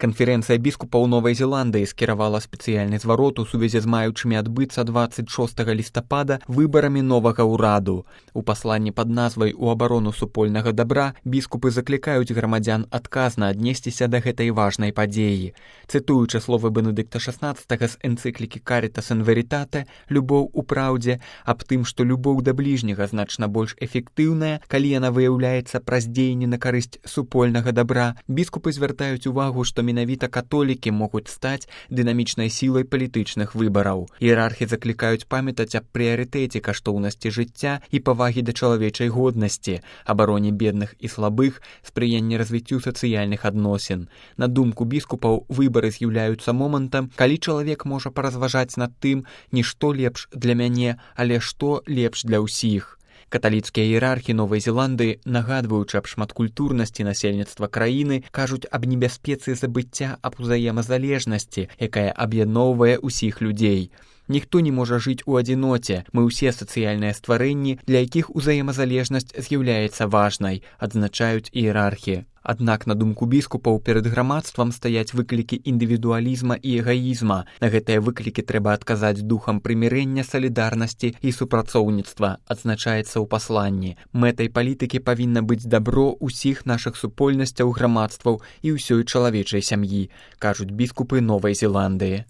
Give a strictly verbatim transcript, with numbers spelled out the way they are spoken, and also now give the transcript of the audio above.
Канферэнцыя біскупаў Новай Зеландыі скіравала спецыяльны зварот у сувязі з маючымі адбыцца дваццаць шостага лістапада выбарамі новага ўраду. У пасланні пад назвай «У абарону супольнага дабра» біскупы заклікаюць грамадзян адказна аднесціся да гэтай важнай падзеі. Цытуючы словы Бенедыкта шаснаццатага з энцыклікі «Caritas in Veritate» «Любоў у праўдзе», аб тым, што любоў да бліжняга значна больш эфектыўная, калі яна выяўляецца праз дзеянні на карысць супольнага дабра, біскупы звяртаюць увагу, што менавіта католікі могуць стаць дынамічнай сілай палітычных выбараў. Іерархі заклікаюць памятаць аб прыярытэце каштоўнасці жыцця і павагі да чалавечай годнасці, абароне бедных і слабых, спрыянні развіццю сацыяльных адносін. На думку біскупаў, выбары з'яўляюцца момантам, калі чалавек можа паразважаць над тым, не што лепш для мяне, але што лепш для ўсіх. Каталіцкія іерархі Новай Зеландыі, нагадваючы аб шматкультурнасці насельніцтва краіны, кажуць аб небяспецы забыцця аб узаемазалежнасці, якая аб'ядноўвае ўсіх людзей. Ніхто не можа жыць у адзіноце, мы ўсе сацыяльныя стварэнні, для якіх узаемазалежнасць з'яўляецца важнай, адзначаюць іерархі. Аднак, на думку біскупаў, перад грамадствам стаяць выклікі індывідуалізма і эгаізма. На гэтыя выклікі трэба адказаць духам прымірэння, салідарнасці і супрацоўніцтва, адзначаецца ў пасланні. Мэтай палітыкі павінна быць дабро ўсіх нашых супольнасцяў, грамадстваў і ўсёй чалавечай сям'і, кажуць біскупы Новай Зеландыі.